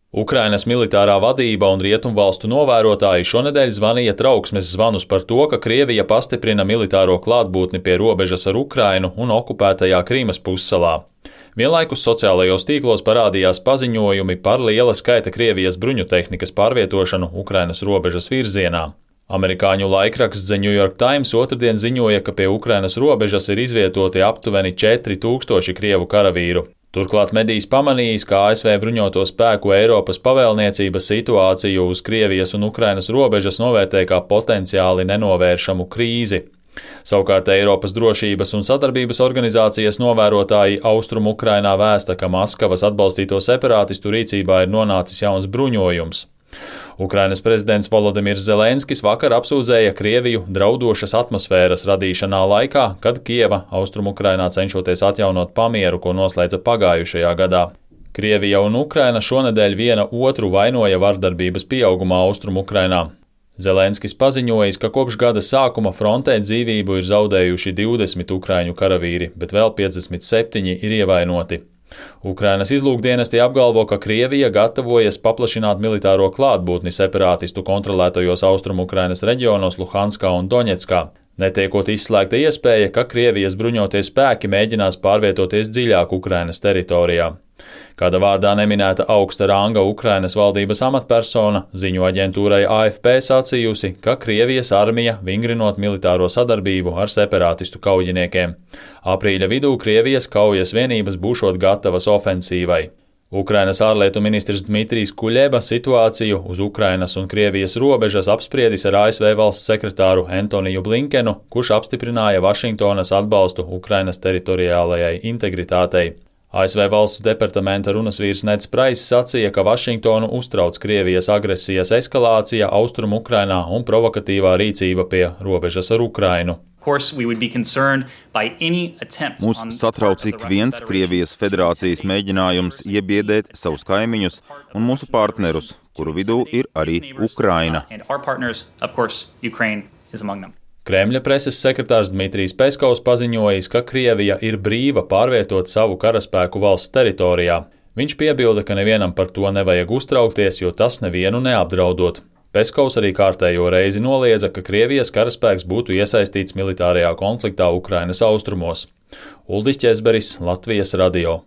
Ukrainas militārā vadība un rietumvalstu novērotāji šonedēļ zvanīja trauksmes zvanus par to, ka Krievija pastiprina militāro klātbūtni pie robežas ar Ukrainu un okupētajā Krīmas pussalā. Vienlaikus sociālajos tīklos parādījās paziņojumi par liela skaita Krievijas bruņutehnikas pārvietošanu Ukrainas robežas virzienā. Amerikāņu laikraksts The New York Times otrdien ziņoja, ka pie Ukrainas robežas ir izvietoti aptuveni 4000 krievu karavīru. Turklāt medijs pamanījis, ka ASV bruņoto spēku Eiropas pavēlniecība situāciju uz Krievijas un Ukrainas robežas novērtē kā potenciāli nenovēršamu krīzi. Savukārt Eiropas drošības un sadarbības organizācijas novērotāji Austrumu Ukrainā vēsta, ka Maskavas atbalstīto separātistu rīcībā ir nonācis jauns bruņojums. Ukrainas prezidents Volodimirs Zelenskis vakar apsūdzēja Krieviju draudošas atmosfēras radīšanā laikā, kad Kieva Austrumukrainā cenšoties atjaunot pamieru, ko noslēdza pagājušajā gadā. Krievija un Ukraina šonedēļ viena otru vainoja vardarbības pieaugumā Austrumukrainā. Zelenskis paziņojis, ka kopš gada sākuma frontē dzīvību ir zaudējuši 20 ukraiņu karavīri, bet vēl 57 ir ievainoti. Ukrainas izlūkdienesti apgalvo, ka Krievija gatavojas paplašināt militāro klātbūtni separātistu kontrolētajos Austrumukrainas reģionos Luhanskā un Doņetskā, netiekot izslēgta iespēja, ka Krievijas bruņotie spēki mēģinās pārvietoties dziļāk Ukrainas teritorijā. Kāda vārdā neminēta augsta ranga Ukrainas valdības amatpersona ziņu aģentūrai AFP sacījusi, ka Krievijas armija vingrinot militāro sadarbību ar separātistu kaujiniekiem. Aprīļa vidū Krievijas kaujas vienības būšot gatavas ofensīvai. Ukrainas ārlietu ministrs Dmitrijs Kuļeba situāciju uz Ukrainas un Krievijas robežas apspriedis ar ASV valsts sekretāru Antoniju Blinkenu, kurš apstiprināja Vašingtonas atbalstu Ukrainas teritoriālajai integritātei. ASV valsts departamenta runasvīrs Neds Prais sacīja, ka Vašingtonu uztrauc Krievijas agresijas eskalācija Austrumu Ukrainā un provokatīvā rīcība pie robežas ar Ukrainu. Mūs satrauc ik viens Krievijas federācijas mēģinājums iebiedēt savus kaimiņus un mūsu partnerus, kuru vidū ir arī Ukraina. Kremļa preses sekretārs Dmitrijs Peskovs paziņojis, ka Krievija ir brīva pārvietot savu karaspēku valsts teritorijā. Viņš piebilda, ka nevienam par to nevajag uztraukties, jo tas nevienu neapdraudot. Peskovs arī kārtējo reizi noliedza, ka Krievijas karaspēks būtu iesaistīts militārajā konfliktā Ukrainas austrumos. Uldis Ķezberis, Latvijas radio.